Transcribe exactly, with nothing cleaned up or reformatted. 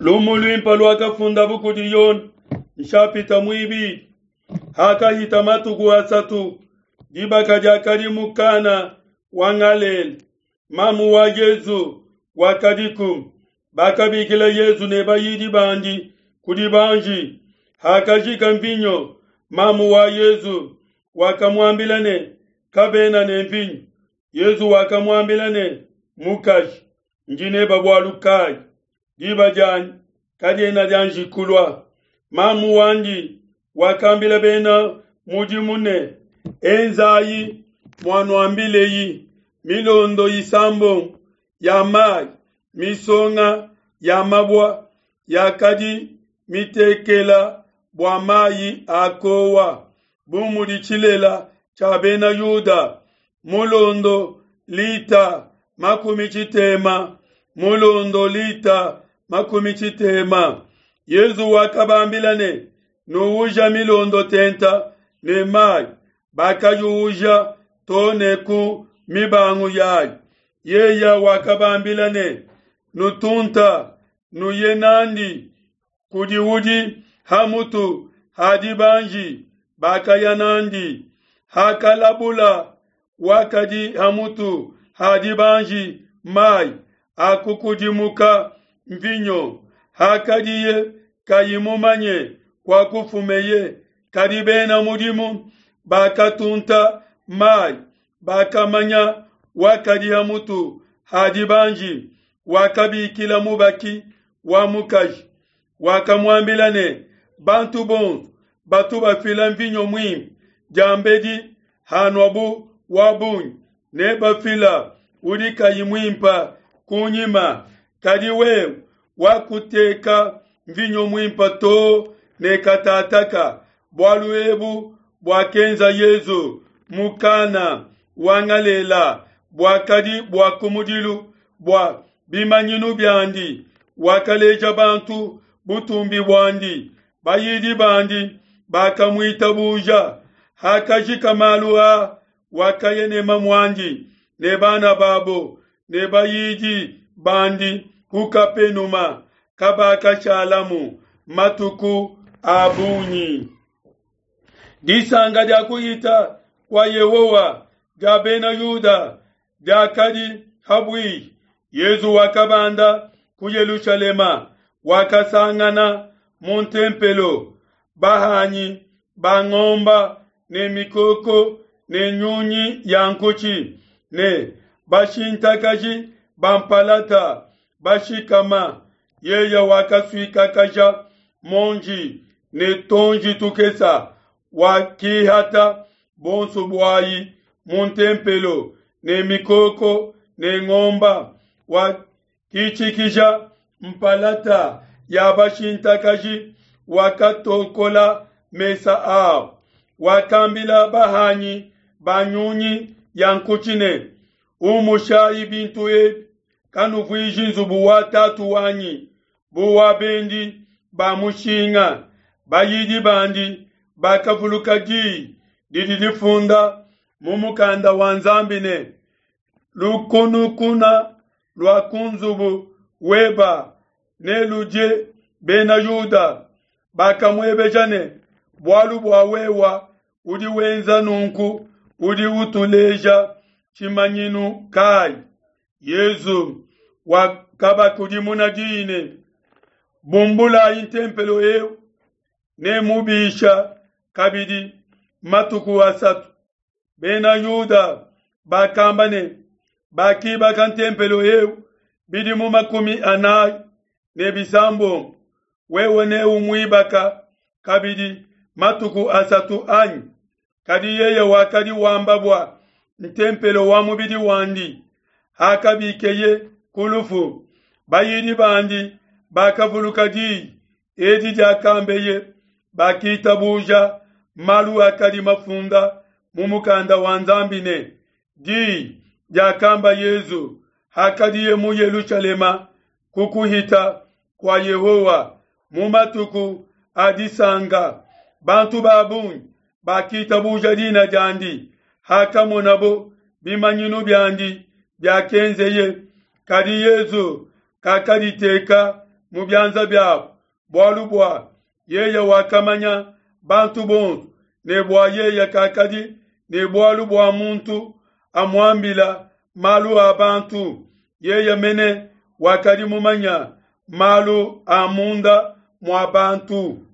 Lumu luimpe luakafundabu kudi Yone nshapita muibidi. Hakahita matuku asatu, dibaka diakadi mu Kana wa Galela. Mamu wa Yezu wakadiku. Bakabikila Yezu ne bayidi bandi kudi banji. Hakajika mvinyo, mamu wa Yezu wakamuambila ne, kabena ne mvinyo. Yezu wakamuambila ne, mukaji, ndi nebe bualu kayi? Diba dianyi kadiena dianji kulua. Mamu wandi wakambila bena mudimu ne, enzayi muanuambileyi. Milondo isambombo ya mayi misonga ya mabua yakadi mitekela bua mayi a kowa, bu mudi tshilela tshia bena Yuda, mulondo lita makumi tshitema, mulondo lita makumi tshitema. Yezu wakabambila ne, nuuja milondo tenta ne mayi. Bakayuuja to ne ku mibangu yayi. Yeya wakabambila ne, nutunta nuye nandi kudi udi hamutu ha dibanji. Bakaya nandi. Hakalabula wakadi hamutu ha dibanji mayi akukudimuka mvinyo, hakadiye kayi mumanye kwa kufumeye, kadi bena mudimu bakatunta mayi bakamanya wakadi hamutu ha dibanji. Wakabikila mubaki wa mukaji, wakamuambila ne, bantu bonso batu bafila mvinyo muimpe diambedi hanuabu wa bungi, ne bafila udi kayi muimpe kunyima, kadi wewe wakuteka mvinyo muimpe to ne katataka. Bualu ebu buakenza Yezu mu Kana wa Galela buakadi bua kumudilu bua bimanyinu biandi, wakaleja bantu butumbi buandi, bayidi bandi bakamuitabuja. Hakajika malu a, wakaya ne mamuandi ne bana babo ne bayidi bandi ku Kapenuma, kabakashalamu matuku a bungi. Disanka dia kuhita kua Yehowa dia bena Yuda diakadi habuihi. Yezu wakabanda ku Yelushalema, wakasangana mu ntempelo bahanyi ba ngomba ne mikoko ne nyunyi ya nkutshi ne bashintakaji ba mpalata bashikama. Yeye wakasuikakaja monji ne tonji tukesa, wakihata bonso buayi mu ntempelo ne mikoko ne ngomba, wakitshikija mpalata ya bashintakaji, wakatonkola mesa abo. Wakambila bahanyi ba nyunyi ya nkutshi ne, umushayi bintu ebi, kanuvuiji nzubu wa tatu wanyi bu wa bendi ba mushinga. Bayidi bandi bakavuluka diyi didi difunda mu mukanda wa Nzambi ne, lukunukuna lua ku nzubu weba neludie bena Yuda. Bakamuebeja ne, bualu bua wewa udi wenza nunku, udi utuleja tshimanyinu kayi? Yezu wakabakudimuna diyi ne, bumbulayi ntempelo eu, ne mubisha kabidi matuku asatu. Bena Yuda bakamba ne, bakibaka ntempelo eu bidimu makumi anayi ne bisambombo, wewe ne umuibaka kabidi matuku asatu anyi? Kadi yeye wakadi wamba bua ntempelo wa mubidi wandi. Hakabikeye ku lufu, bayidi bandi bakavuluka diyi edi diakambeye, bakitabuja malu akadi mafunda mu mukanda wa Nzambi ne, diyi diakamba Yezu hakadiye mu Yelushalema ku kuhita kua Yehowa mu matuku a disanka. Bantu ba bungi bakitabuja dina diandi hakamonabo bimanyinu biandi biakenzeye. Kadi Yezu kakaditeka mu bianza biabo, bualu bua yeye wakamanya bantu bonso, ne bua yeye kakadi ne bualu bua muntu amuambila malu a bantu, yeye mene wakadi mumanya malu a munda mua bantu.